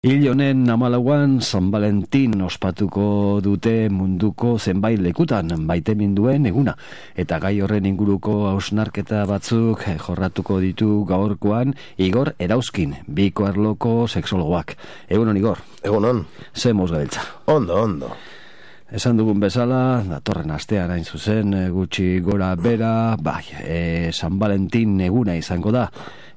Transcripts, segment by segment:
Hil honen 14an San Valentin ospatuko dute munduko zenbait lekutan maiteminduen eguna. Eta gai horren inguruko hausnarketa batzuk jorratuko ditu gaurkoan Igor Erauzkin, biko arloko sexologoak. Egunon, Igor. Egunon. Ze moz gabiltza. Ondo. Esan dugun bezala, datorren astean hain zuzen, gutxi gora bera, San Valentin eguna izango da.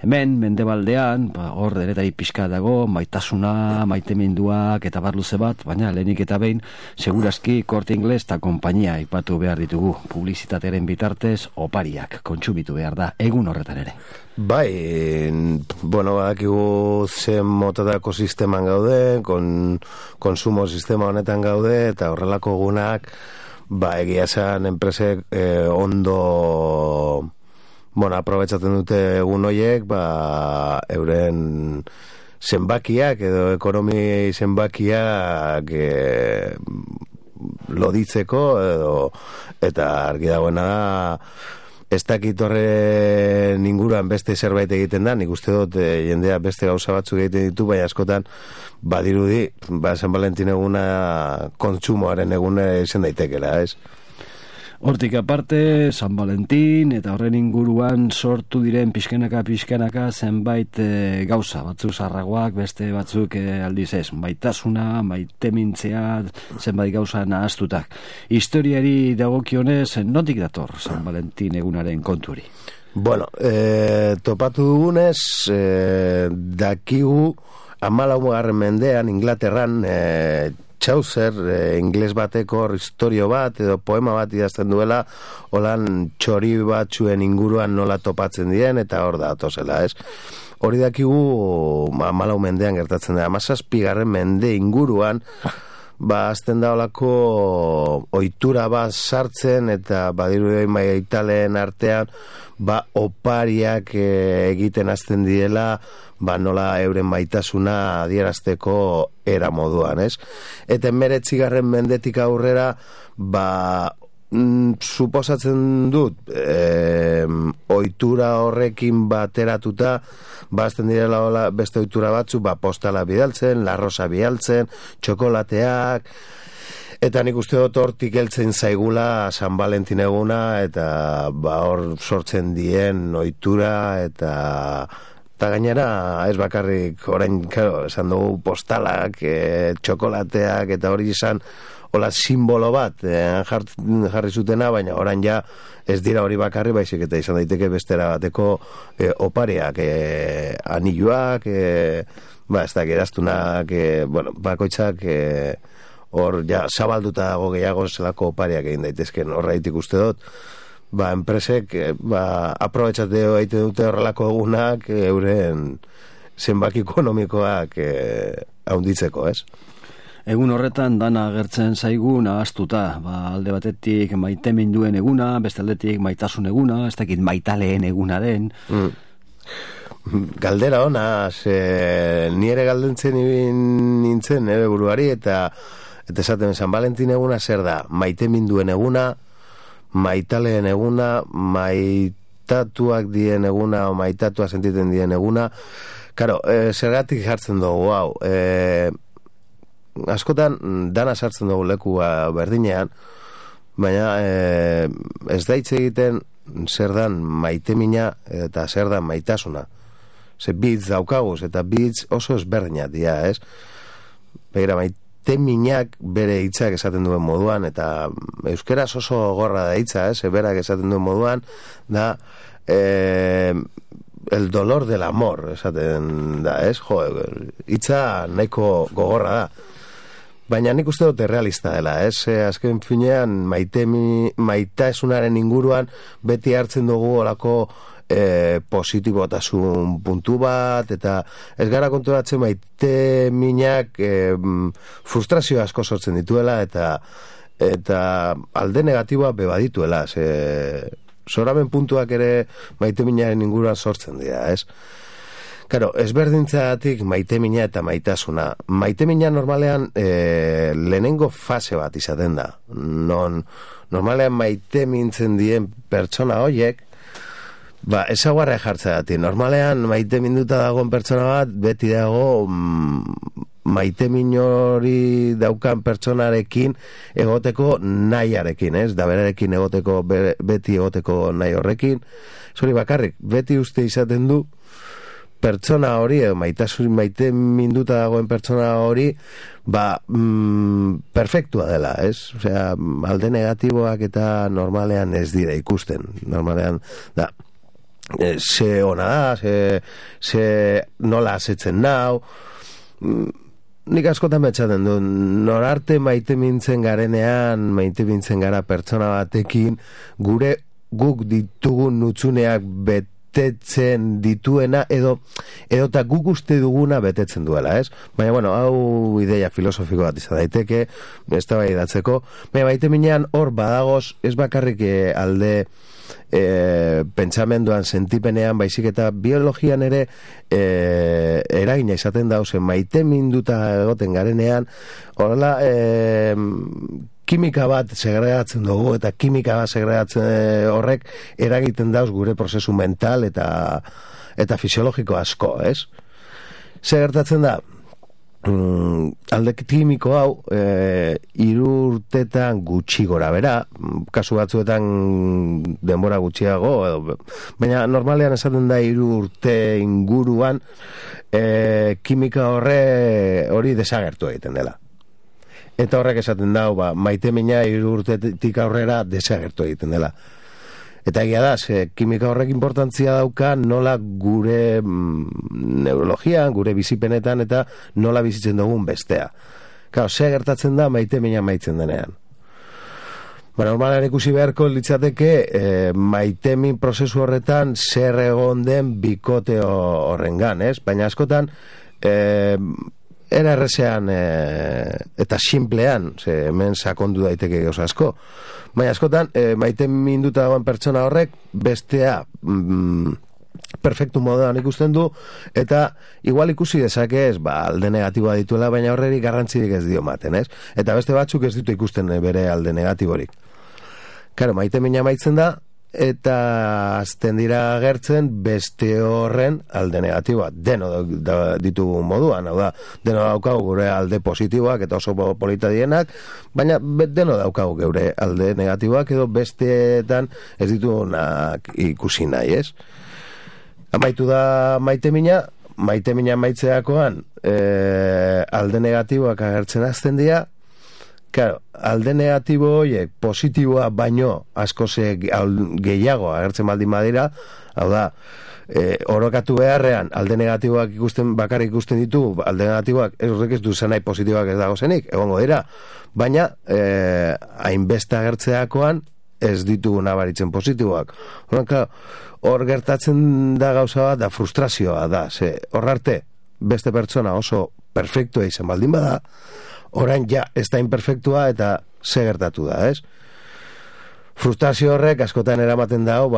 Hemen, mendebaldean, hor denetari pixka dago, maitasuna, maiteminduak eta barluze bat, baina lehenik eta behin, segurazki Corte Inglés eta konpainia aipatu behar ditugu. Publizitatearen bitartez, opariak kontsumitu behar da, egun horretan ere. Bai, badakigu zen motadako sisteman gaude, konsumo sistema honetan gaude, eta horrelako egunak, egia esan enpresek ondo aprobetxatzen dute egun horiek, euren zenbakiak edo ekonomi zenbakiak loditzeko eta argi dagoena da ez dakit horren inguruan beste zerbait egiten da, nik uste dut jendea beste gauza batzuk egiten ditu, baina askotan badirudi, San Valentin eguna kontsumoaren eguna izan daitekela, ez? Hortik aparte, San Valentin eta horren inguruan sortu diren pixkanaka zenbait gauza, batzuk zarragoak, beste batzuk aldiz ez, maitasuna, maitemintzea, zenbait gauza nahaztutak. Historiari dagokionez, notik dator San Valentin egunaren konturi? Topatu dugunez, dakigu 14. mendean Inglaterran Chaucer, ingles bateko historio bat edo poema bat idazten duela, holan txori batzuen inguruan nola topatzen diren, eta hor da atozela, ez? Hori dakigu 14. mendean gertatzen da, 17. mende inguruan, azten da holako ohitura bat sartzen, eta badiru maitaleen artean, opariak egiten hasten direla, nola euren maitasuna adierazteko era moduan, ez? Eta 19. mendetik aurrera, suposatzen dut, ohitura horrekin bateratuta, azten direla beste ohitura batzu, postala bidaltzen, larrosa bidaltzen, txokolateak, eta nik uste dut hortik heltzen zaigula San Valentin eguna, eta hor sortzen dien ohitura, eta gainera ez bakarrik orain, esan dugu postalak, txokolateak, eta hori izan hola simbolo bat jarri zutena, baina orain ja ez dira hori bakarri, baizik eta izan daiteke bestera bateko opariak, anilluak, ez da, geraztunak, bakoitzak hor ja zabalduta dago gehiago zelako opariak egin daitezken, horreitik uste dut, enpresek aprobetxate egiten dute horrelako egunak euren zenbaki ekonomikoak haunditzeko, ez? Egun horretan dana agertzen zaigu nahaztuta, alde batetik maiteminduen eguna, beste aldetik maitasun eguna, ez dakit maitaleen egunaren. Galdera ona, nire galdentzen nintzen nire buruari, eta esaten San Valentin eguna zer da, maiteminduen eguna, maitaleen eguna, maitatuak dien eguna, o maitatua sentiten dien eguna. Karo, zergatik jartzen dugu, askotan dana sartzen dugu leku berdinean, baina ez da hitz egiten zer dan maitemina eta zer dan maitasuna. Bitz daukaguz, eta bitz oso ezberdinak dira, ez? Begira, maiteminak bere hitzak esaten duen moduan, eta euskeraz oso gorra da hitza, berak esaten duen moduan, da el dolor del amor, esaten da, ez? Hitza nahiko gogorra da. Baina nik uste dut realista dela, ez? Azken finean, maitasunaren inguruan beti hartzen dugu olako positibotasun puntu bat, eta ez gara konturatzen maiteminak frustrazio asko sortzen dituela, eta alde negatiboa bebadituela, zoraben puntuak ere maiteminaren inguruan sortzen dira, ez? Karo, ezberdintzatik maitemina eta maitasuna. Maitemina normalean lehenengo fase bat izaten da. Normalean maitemintzen dien pertsona horiek, ezaguarra jartzea dati. Normalean maite minduta dagoen pertsona bat beti dago maitemin hori daukan pertsonarekin egoteko nahiarekin, ez? Da berarekin egoteko, beti egoteko nahi horrekin. Zori bakarrik, beti uste izaten du pertsona hori, maite minduta dagoen pertsona hori, perfektua dela, ez? Osea, alde negatiboak eta normalean ez dira ikusten. Normalean, da, ze ona da, ze nola asetzen nau, nik askotan betxaten du, norarte maite mintzen garenean, maite mintzen gara pertsona batekin, guk ditugun nutzuneak betetzen dituena, edo eta guk uste duguna betetzen duela, ez? Baina, bueno, hau ideia filosofiko bat izan daiteke, ez da bai datzeko, baina maite minean hor badagoz, ez bakarrik alde pentsamenduan, sentipenean, baizik eta biologian ere eragina izaten dauzen maite minduta egoten garenean, horrela kimika bat segregatzen dugu, eta kimika bat segregatzen horrek eragiten dauz gure prozesu mental eta fisiologiko asko, ez? Ze gertatzen da? Alde kimiko hau 3 urtetan gutxi gora bera, kasu batzuetan denbora gutxiago, baina normalean esaten da 3 urte inguruan kimika hori desagertu egiten dela. Eta horrek esaten da, maitemina 3 urtetik aurrera desagertu egiten dela. Eta egia da, kimika horrek importantzia dauka nola gure neurologian, gure bizipenetan eta nola bizitzen dugun bestea. Claro, ze gertatzen da maitemina maitzen denean. Normalean ikusi beharko litzateke maitemin prozesu horretan zer egon den bikote horrengan, ez? Baina askotan era errezean eta simplean, hemen sakondu daiteke gauza asko, baina askotan maite minduta dagoen pertsona horrek bestea perfektu moduan ikusten du, eta igual ikusi dezake ez, alde negatiboa dituela, baina horreri garrantzirik ez dio maten, ez? Eta beste batzuk ez ditu ikusten bere alde negatiborik. Karo, maite mina maitzen da, eta azten dira agertzen beste horren alde negatiboa. Deno ditugu moduan, hau da, deno daukagu gure alde positiboak eta oso polita dienak, baina deno daukagu gure alde negatiboak edo besteetan ez ditugunak ikusi nahi, ez? Amaitu da maite mina maitzeakoan alde negatiboak agertzen azten dira. Claro, alde negatibo horiek positiboa baino asko gehiago agertzen baldin badira, hau da, orokatu beharrean alde negatiboak bakarrik ikusten ditu, alde negatiboak horrek ez du zenai positiboak ez dago zenik, egongo dira, baina hainbeste agertzeakoan ez ditugu nabaritzen positiboak. Hor gertatzen da gauza bat, da frustrazioa da, hor arte beste pertsona oso perfektua izan baldin bada, orain ja ez da imperfektua eta ze gertatu da, ez? Frustrazio horrek askotan eramaten dago,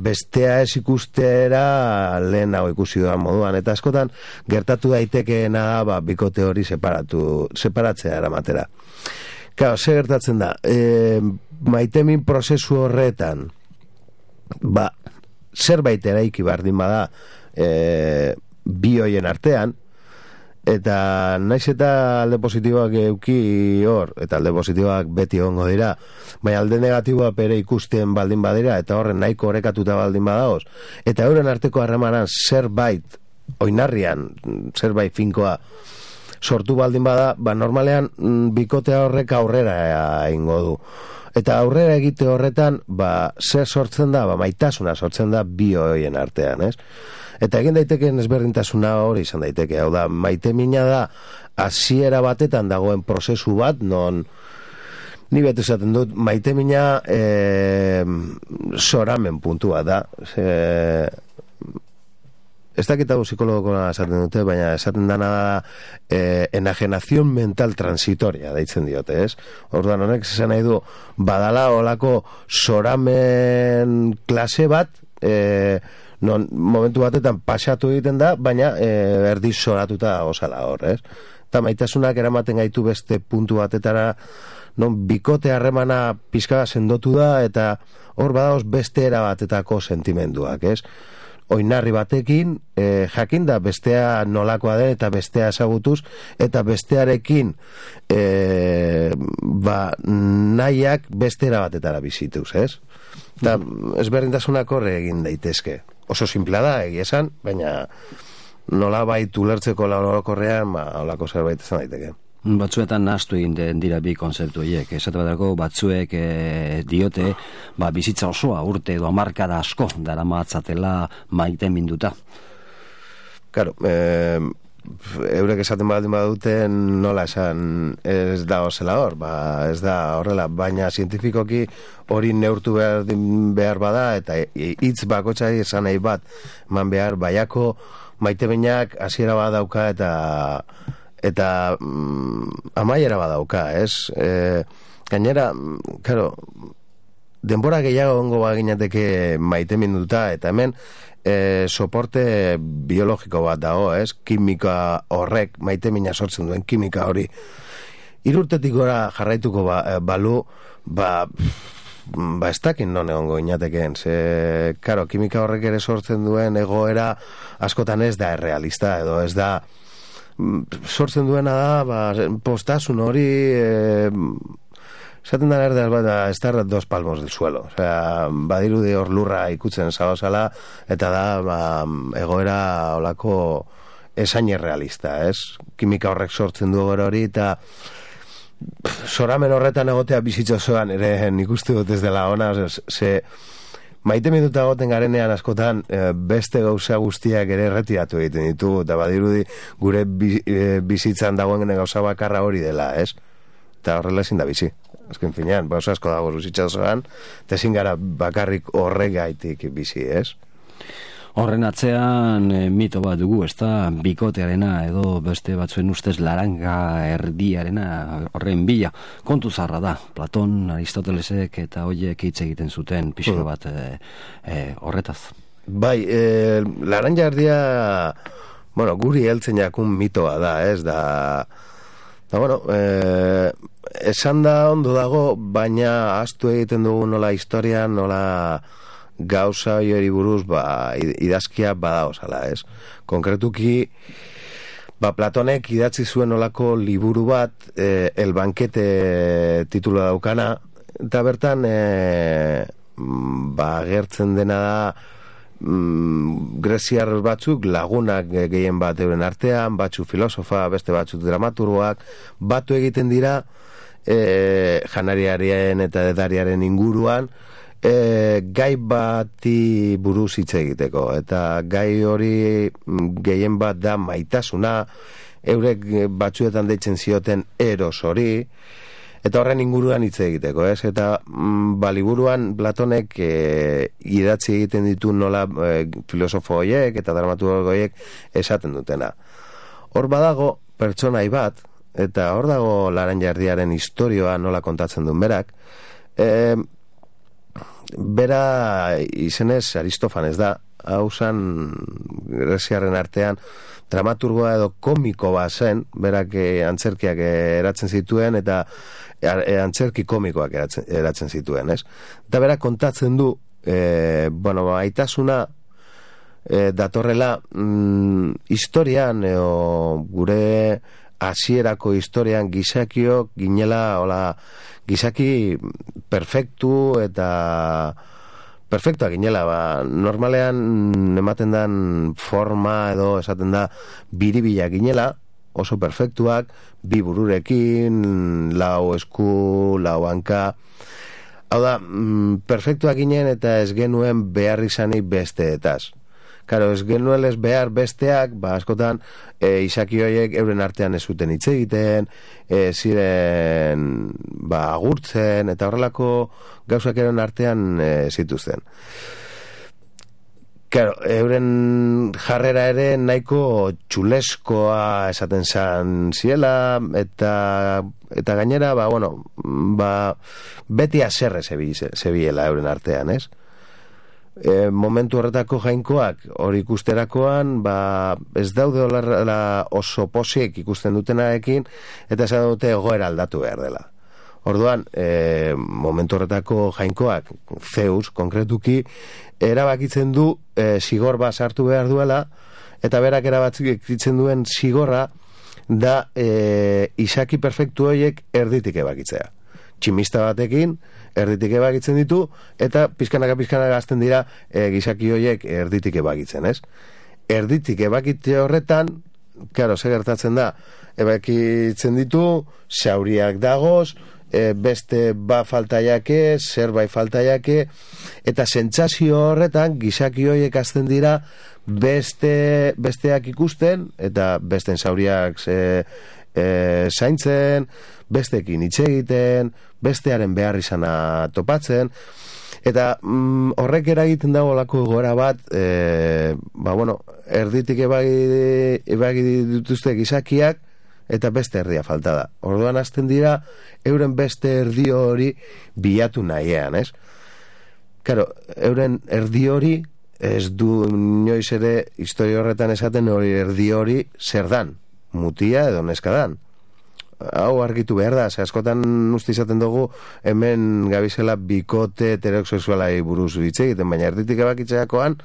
bestea ez ikustera lehen hau ikusi duan moduan, eta askotan gertatu daitekeena da, bikote hori separatzea eramatera. Claro, ze gertatzen da, maitemin prozesu horretan, zerbait eraiki bardin bada bi hoien artean, eta naiz eta alde positiboak euki hor, eta alde positiboak beti egongo dira, baina alde negatiboa pere ikusten baldin badira, eta horren nahiko orekatuta baldin badagoz, eta euren arteko harremanan zerbait oinarrian, zerbait finkoa sortu baldin bada, normalean bikotea horrek aurrera egingo du. Eta aurrera egite horretan, zer sortzen da, maitasuna sortzen da bi hoien artean, ez? Eta egin daitekeen ezberdintasuna hori izan daiteke, hau da, maite mina da hasiera batetan dagoen prozesu bat, non ni betu esaten dut, maite mina soramen puntua da. Ez dakit hau psikologokona esaten dute, baina esaten dana da enajenazion mental transitoria deitzen diote, ez? Orduan honek esan nahi du, badala olako soramen klase bat, non momentu batetan pasatu egiten da, baina erdi soratuta osala hor, ez? Eta maitasunak eramaten gaitu beste puntu batetara, non bikote harremana pizka sendotu da, eta hor badagoz beste era batetako sentimenduak, ez? oinarri batekin, jakinda bestea nolakoa den eta bestea ezagutuz, eta bestearekin nahiak bestera batetara bizituz, ez? Eta ezberdintasunak horre egin daitezke. Oso simplea da, egia esan, baina nola bait ulertzeko orokorrean, holako zerbait izan daiteke. Batzuetan nahastu egin dira bi konzeptu horiek. Esate baterako batzuek diote bizitza osoa urte edo hamarkada asko daramatzatela maite minduta. Claro, eurek esaten baduten nola esan ez da zela hor, ez da horrela, baina zientifikoki hori neurtu behar bada eta hitz bakotxai esan nahi bat eman behar baiako maite behinak hasiera badauka eta amaiera badauka, ez? Gainera, claro, denbora gehiago ongo baginateke maite minduta, eta hemen soporte biologiko bat dago, ez? Kimika horrek, maite mina sortzen duen kimika hori. 3 urtetik gora jarraituko balu, ez dakin non egongo inatekeen, karo, kimika horrek ere sortzen duen egoera askotan ez da errealista, edo ez da sortzen duena da postasun hori esaten da ez da 2 palmos del suelo, badirudi hor lurra ikutzen zaozala eta da egoera olako esain errealista, ez? Kimika horrek sortzen du egoera hori eta zoramen horretan egotea bizitza osoan ere nik uste dut ez dela ona, maite minuta goten garenean askotan beste gauza guztiak ere erretiratu egiten ditu, eta badirudi gure bizitzan dagoen gauza bakarra hori dela, ez? Eta horrela ezin da bizi. Azken finean, gauza asko dago bizitza osoan, eta ezin gara bakarrik horregaitik bizi, ez? Horren atzean mito bat dugu, ez da, bikotearena edo beste batzuen ustez laranga erdiarena horren bila. Kontu zarra da, Platon, Aristotelesek eta hoiek hitz egiten zuten pixka bat horretaz. Bai, laranja erdia, guri heltzen jakun mitoa da, ez da, esan da ondo dago, baina ahaztu egiten dugu nola historian, nola gauza hori buruz idazkia badaozala, ez? Konkretuki Platonek idatzi zuen olako liburu bat El Bankete titula daukana, eta bertan gertzen dena da greziar batzuk lagunak gehien bat euren artean, batzu filosofa, beste batzuk dramaturgoak batu egiten dira janariaren eta edariaren inguruan gai bati buruz hitz egiteko, eta gai hori gehien bat da maitasuna, eurek batzuetan deitzen zioten eros hori, eta horren inguruan hitz egiteko, ez? Eta liburuan Platonek idatzi egiten ditu nola filosofo horiek eta dramaturgo horiek esaten dutena. Hor badago pertsonai bat, eta hor dago laranja erdiaren istorioa nola kontatzen duen berak, bera izenez Aristofanes da, hau zan greziarren artean dramaturgoa edo komiko bat zen, berak antzerkiak eratzen zituen eta antzerki komikoak eratzen zituen, ez? Eta berak kontatzen du aitasuna datorrela historian gure hasierako historian gizakiok ginela gizaki perfektu eta perfektua ginela, normalean ematen dan forma edo esaten da biribila ginela, oso perfektuak, 2 bururekin, 4 esku, 4 hanka, hau da, perfektuak ginen eta ez genuen behar izanik besteetaz. Karo, ez genuen ez behar besteak, askotan izaki horiek euren artean ez zuten hitz egiten, ziren agurtzen, eta horrelako gauzak euren artean zituzten. Karo, euren jarrera ere nahiko txuleskoa esaten zan ziela, eta gainera, beti aserre zebiela euren artean, ez? Momentu horretako jainkoak hori ikusterakoan ez daude oso posiek ikusten dutenarekin eta esan dute egoera aldatu behar dela. Orduan, momentu horretako jainkoak, Zeus, konkretuki, erabakitzen du zigor bat sartu behar duela, eta berak erabakitzen duen zigorra da izaki perfektu horiek erditik ebakitzea. Tximista batekin, erditik ebakitzen ditu, eta pizkanaka azten dira gizaki horiek erditik ebakitzen, ez? Erditik ebakitze horretan, claro, zer gertatzen da, ebakitzen ditu, zauriak dagoz, beste falta jake, zerbait falta jake, eta sentsazio horretan gizaki horiek azten dira besteak ikusten, eta besten zauriak zaintzen, bestekin hitz egiten, bestearen behar izana topatzen, eta horrek eragiten dago lako gora bat, erditik ebagi dituzte gizakiak, eta beste erdia falta da. Orduan hasten dira, euren beste erdi hori bilatu nahian, ez? Claro, euren erdi hori, ez du inoiz ere historia horretan esaten hori erdi hori zer dan, mutia edo neska dan. Hau argitu behar da, askotan uste izaten dugu hemen gabizela bikote heterosexualai buruz hitz egiten, baina erditik ebakitzeakoan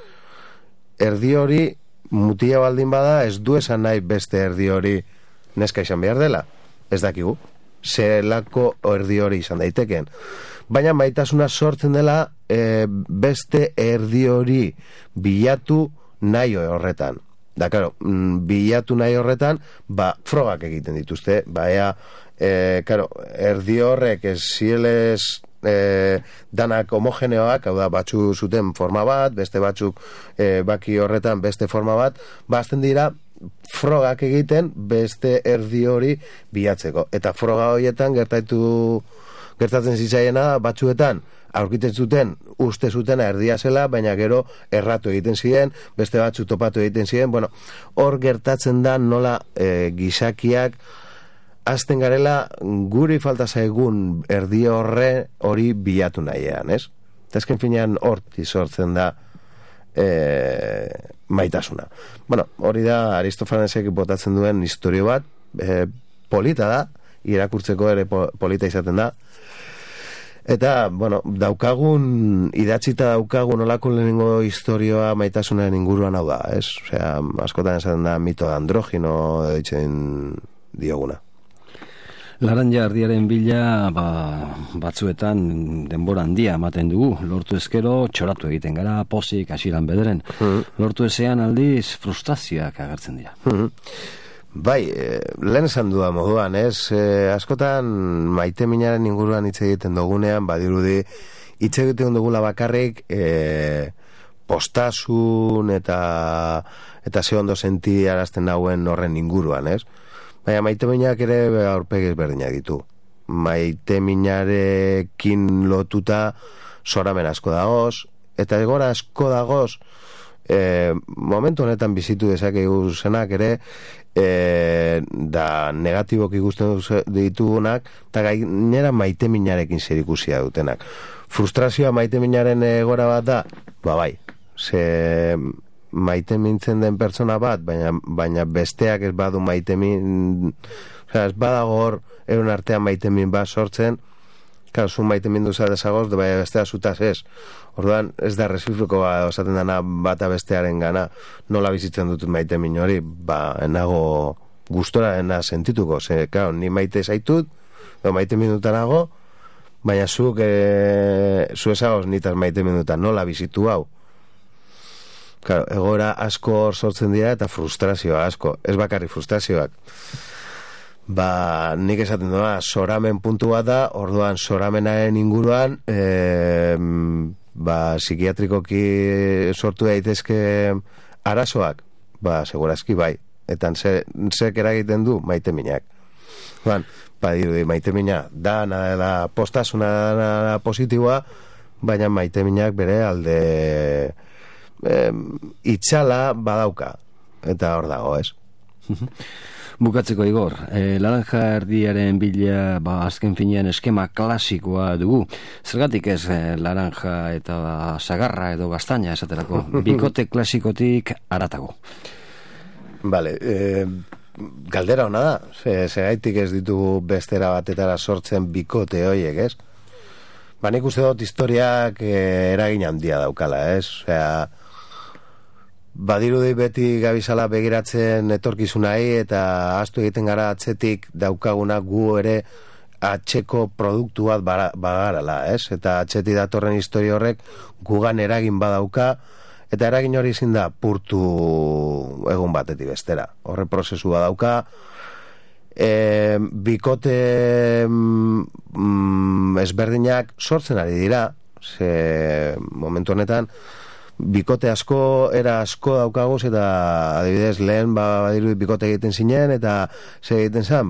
erdi hori mutia baldin bada ez du esan nahi beste erdi hori neska izan behar dela, ez dakigu, zelako erdi hori izan daiteken. Baina maitasuna sortzen dela beste erdi hori bilatu nahi horretan. Da, claro, bilatu nahi horretan, frogak egiten dituzte, claro, erdi horrek ez zielez danak homogeneoak, hau da, batzu zuten forma bat, beste batzuk baki horretan beste forma bat, azten dira, frogak egiten beste erdi hori bilatzeko. Eta froga horietan gertatzen zitzaiena batzuetan aurkitzen zuten, uste zutena erdia zela, baina gero erratu egiten ziren, beste batzu topatu egiten ziren. Bueno, hor gertatzen da nola gizakiak azten garela guri falta zaigun erdi hori bilatu nahian, ez? Eta ezken finean horti sortzen da maitasuna. Bueno, hori da Aristofanesek botatzen duen historio bat, polita da, irakurtzeko ere polita izaten da, eta, bueno, idatzita daukagun olako lehenengo historioa maitasunaren inguruan hau da, ez? Osea, askotan esaten da mito androgino ditzen dioguna. Laranja ardiaren bila batzuetan denbora handia ematen dugu. Lortu ezkero txoratu egiten gara, pozik, hasiran bederen. Lortu ezean aldiz frustrazioak agertzen dira. Bai, lehen esan duda moduan, ez? Askotan maite minaren inguruan hitz egiten dugunean, badirudi hitz egiten dugula bakarrik postasun eta ze ondo senti arazten dauen horren inguruan, ez? Baina maite minak ere aurpegi ezberdinak ditu. Maite minarekin lotuta zoramen asko dagoz, eta egora asko dagoz, momentu honetan bizitu dezakegu zenak ere, da negatiboki ikusten ditugunak, eta gainera maite minarekin zer ikusia dutenak. Frustrazioa maite minaren egora bat da, bai, maite mintzen den pertsona bat, baina besteak ez badu maite min, ez badago hor euren artean maite min bat sortzen, claro, zu maite min duza dezagoz, baina bestea zutaz ez. Orduan, ez da resifroko osaten dana bata bestearen gana, nola bizitzen dutut maite min hori, enago gustora sentituko, claro, ni maite zaitut, maite min dutanago, baina zu ezagoz nitaz maite min dutan, nola bizitu hau. Claro, egora asko hor sortzen dira eta frustrazioa asko, ez bakarrik frustrazioak. Nik esaten doa, zoramen puntu bat da, orduan zoramenaren inguruan, psikiatrikoki sortu daitezke arazoak, segurazki bai, eta zek eragiten du maite minak. Dirudi, maite minak da postasuna da positiboa, baina maite minak bere alde itxala badauka, eta hor dago, ez? Bukatzeko, Igor, laranja erdiaren bila azken finean eskema klasikoa dugu. Zergatik ez laranja eta sagarra edo gaztaina esaterako, bikote klasikotik haratago? Vale, galdera hona da, segaitik ez ditugu bestera batetara sortzen bikote horiek, ez? Ba, nik uste dut historiak eragin handia daukala, ez? Osea, badirudi beti gabizala begiratzen etorkizunai eta ahaztu egiten gara atzetik daukaguna gu ere atxeko produktu bat bagarala, ez? Eta atzetik datorren historia horrek gugan eragin badauka, eta eragin hori ezin da purtu egun batetik bestera. Horre prozesu badauka, bikote ezberdinak sortzen ari dira, ze momentu honetan bikote asko, era asko daukaguz, eta adibidez lehen badiru bikote egiten zinen, eta ze egiten zen,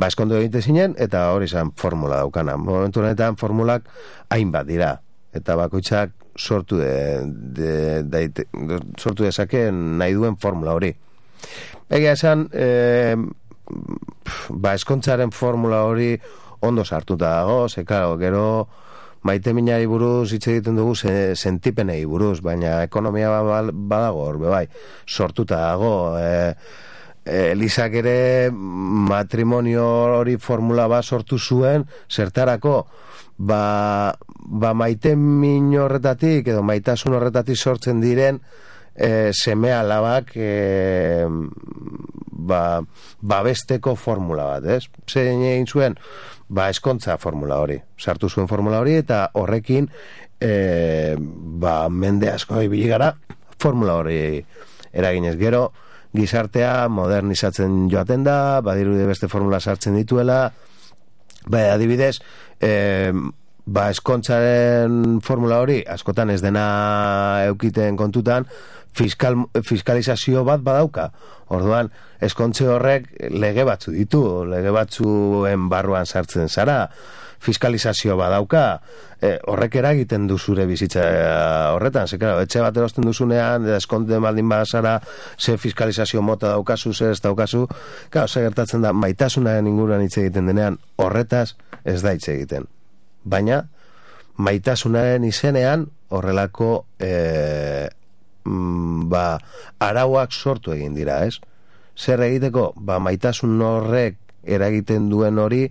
eskondu egiten zinen, eta hori zen formula daukana. Momentu honetan formulak hainbat dira, eta bakoitzak sortu dezakeen nahi duen formula hori. Egia esan, eskontzaren formula hori ondo sartuta dago, ze claro, gero maite minari buruz hitz egiten dugu sentipenei buruz, baina ekonomia badago hor, bai, sortuta dago. Elisak ere matrimonio hori formula bat sortu zuen, zertarako, maite min horretatik edo maitasun horretatik sortzen diren seme alabak babesteko formula bat, ez? Zein egin zuen, eskontza formula hori, sartu zuen formula hori, eta horrekin mende asko ibili gara formula hori eraginez. Gero gizartea modernizatzen joaten da, badirude beste formula sartzen dituela, adibidez, eskontzaren formula hori askotan ez dena eukiten kontutan, fiskalizazio bat badauka. Orduan, eskontze horrek lege batzu ditu, lege batzuen barruan sartzen zara, fiskalizazio badauka, horrek eragiten du zure bizitza horretan, ze claro, etxe bat erosten duzunean, eskonte baldin bazara, ze fiskalizazio mota daukazu, ze ez daukazu, claro, ze gertatzen da, maitasunaren inguruan hitz egiten denean, horretaz ez da hitz egiten. Baina, maitasunaren izenean, horrelako arauak sortu egin dira, ez? Zer egiteko? Maitasun horrek eragiten duen hori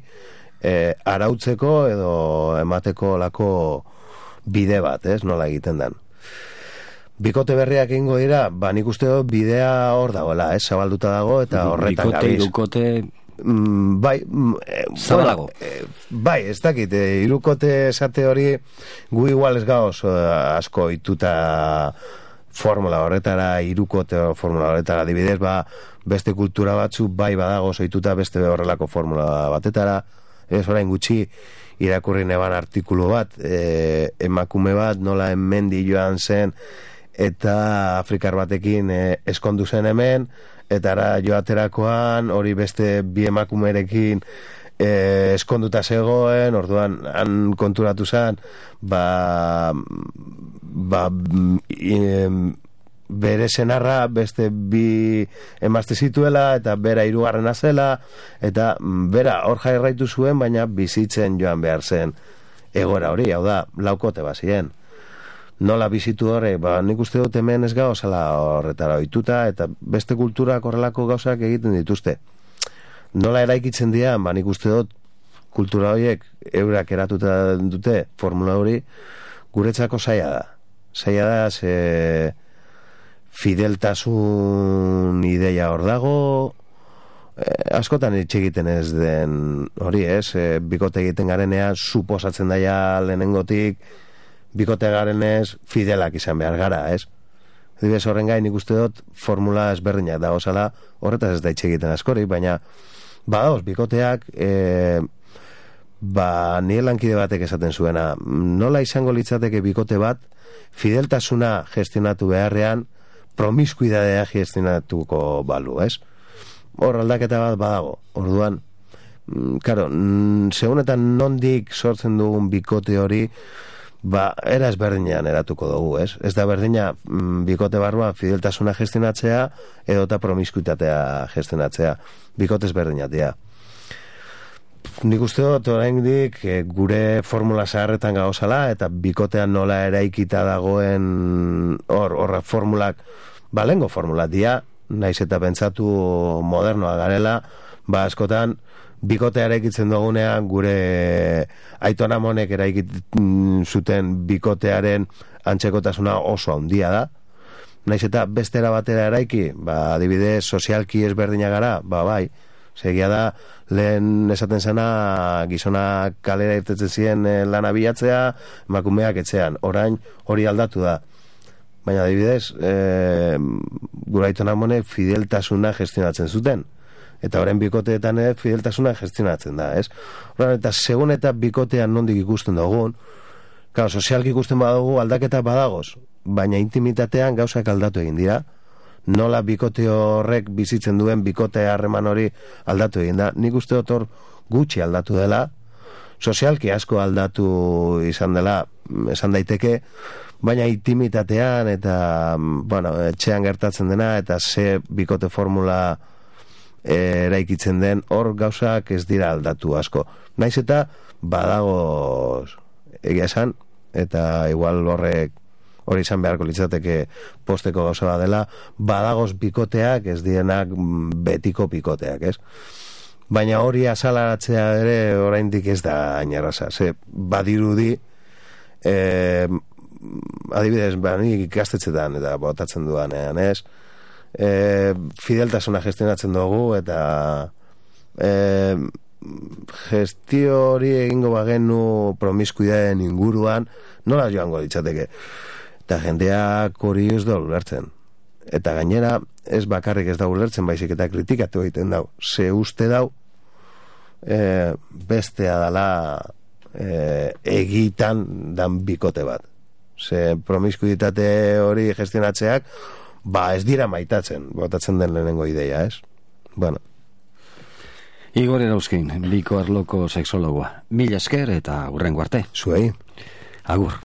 arautzeko edo emateko lako bide bat, ez? Nola egiten den. Bikote berriak egingo dira, nik uste dut bidea hor dagoela, ez? Zabalduta dago eta horretan gabiz. Bikote, irukote... Zabalago. Ez dakit, irukote esate hori gu igual ez gauz asko ituta formula horretara, irukote formula horretara, adibidez, beste kultura batzu badago zoituta beste horrelako formula batetara. Ez orain gutxi irakurri neban artikulu bat, emakume bat nola hemendi joan zen eta Afrikar batekin eskondu zen hemen, eta ara joaterakoan hori beste bi emakumerekin eskonduta zegoen, orduan han konturatu zen bere senarra beste bi emazte zituela eta bera hirugarrena zela, eta bera hor jarraitu zuen, baina bizitzen joan behar zen egoera hori, hau da, laukote bazien. Nola bizitu horre, nik uste dut hemen ez gauzala horretara ohituta, eta beste kulturak horrelako gauzak egiten dituzte. Nola eraikitzen dira, nik uste dut kultura horiek eurak eratuta dute formula hori, guretzako zaila da. Zaila da, ze fideltasun ideia hor dago, askotan hitz egiten ez den hori, ez? Bikote egiten garenean, suposatzen daia lehenengotik, bikote garenez fidelak izan behar gara, ez? Dibes horren gain nik uste dut formula ezberdinak dago zala, horretaz ez da hitz egiten askori, baina badaoz, bikoteak nire lankide batek esaten zuena, nola izango litzateke bikote bat fideltasuna gestionatu beharrean promiskuidadea gestionatuko balu, ez? Hor aldaketa bat badago, orduan karo, segunetan nondik sortzen dugun bikote hori era ezberdinean eratuko dugu, ez? Ez da berdina bikote barruan fideltasuna gestionatzea edo eta promiskuitatea gestionatzea, bikote ezberdinak dira. Nik uste dut oraindik gure formula zaharretan gauzala, eta bikotean nola eraikita dagoen hor formulak, lengo formula dira, naiz eta pentsatu modernoa garela, ba askotan bikotea eraikitzen dugunean gure Aiton Amonek eraikit zuten bikotearen antzekotasuna oso handia da. Naiz eta bestera batera eraiki, ba adibidez sozialki ezberdina gara, ba bai, segia da lehen esaten zena gizona kalera irtetzen ziren lana bilatzea, emakumeak etxean. Orain hori aldatu da. Baina adibidez, gure Aiton Amonek fideltasuna gestionatzen zuten. Eta orain bikoteetan fideltasuna gestionatzen da, ez? Orain, eta segun eta bikotean nondik ikusten dugun, claro, sozialki ikusten badugu aldaketa badagoz, baina intimitatean gauzak aldatu egin dira. Nola bikote horrek bizitzen duen bikote harreman hori aldatu egin da. Nik uste dut hor gutxi aldatu dela, sozialki asko aldatu izan dela, esan daiteke, baina intimitatean eta, bueno, etxean gertatzen dena eta ze bikote formula eraikitzen den, hor gauzak ez dira aldatu asko. Naiz eta badago egia esan, eta igual hori izan beharko litzateke posteko gauza bat dela, badagoz bikoteak ez dienak betiko bikoteak, ez? Baina hori azalaratzea ere oraindik ez da ainarraza, ze badirudi adibidez, nik ikastetxetan eta botatzen dudanean, ez? Fideltasuna gestionatzen dugu eta gestio hori egingo bagenu promiskuidaden inguruan nola joango ditzateke, eta jendeak hori ez da ulertzen, eta gainera ez bakarrik ez da ulertzen, baizik eta kritikatu egiten dau, ze uste dau bestea dala egitan dan bikote bat, ze promiskuitate hori gestionatzeak ba ez dira maitatzen, botatzen den lehenengo ideia, ez? Bueno. Igor Erauzkin, biko arloko sexologoa. Mila esker eta hurrengo arte. Zuei. Agur.